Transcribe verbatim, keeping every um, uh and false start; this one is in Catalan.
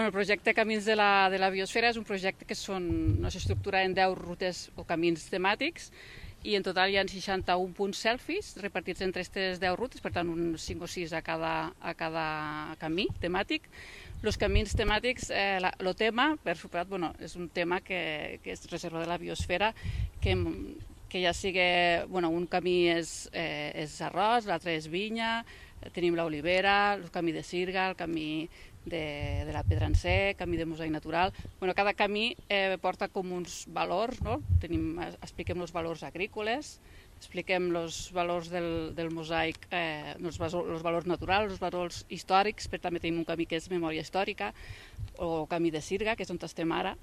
el projecte Camins de la, de la Biosfera és un projecte que són, no s'estructura en deu rutes o camins temàtics i en total hi ha seixanta-un punts selfies repartits entre aquestes deu rutes, per tant uns cinc o sis a cada, a cada camí temàtic. Els camins temàtics, eh, la, el tema, per superat, bueno, és un tema que, que és reserva de la biosfera, que, que ja sigui, bueno, un camí és, eh, és arròs, l'altre és vinya, tenim l'olivera, el camí de Sirga, el camí de, de la Pedransè, camí de mosaic natural. Bueno, cada camí eh, porta com uns valors, no? Tenim, expliquem els valors agrícoles, expliquem els valors del, del mosaic, eh, els, els valors naturals, els valors històrics, però també tenim un camí que és memòria històrica, o camí de Sirga, que és on estem ara,